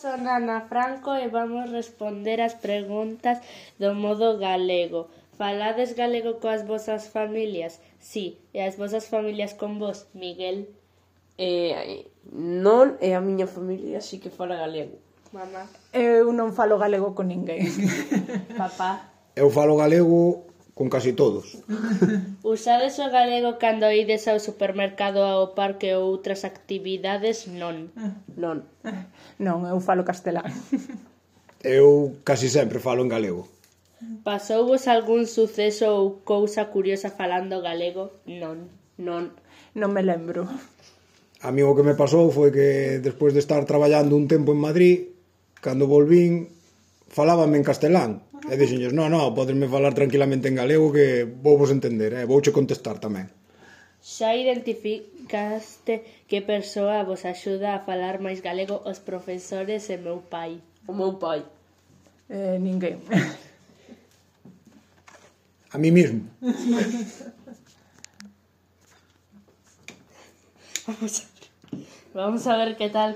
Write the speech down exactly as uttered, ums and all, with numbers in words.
Son Ana Franco e vamos responder as preguntas do modo galego. Falades galego coas vosas familias? Si. E as vosas familias con vos, Miguel? Eh, non, e a miña familia si que fala galego. Mamá? Eu non falo galego con ninguén. Papá? Eu falo galego con casi todos. Usades o galego cando ides ao supermercado, ao parque ou outras actividades? Non. Non. Non, eu falo castelán. Eu casi sempre falo en galego. Pasouvos algún suceso ou cousa curiosa falando galego? Non. Non. Non me lembro. A mí o que me pasou foi que despois de estar traballando un tempo en Madrid, cando volvín, falábame en castelán. E dixenlles, non, non, podesme falar tranquilamente en galego que vou vos entender, e eh? vouche contestar tamén. Xa identificaste que persoa vos axuda a falar máis galego? Os profesores e meu pai. O meu pai. Eh, ninguén. A mí mismo. Vamos a ver, vamos a ver que tal.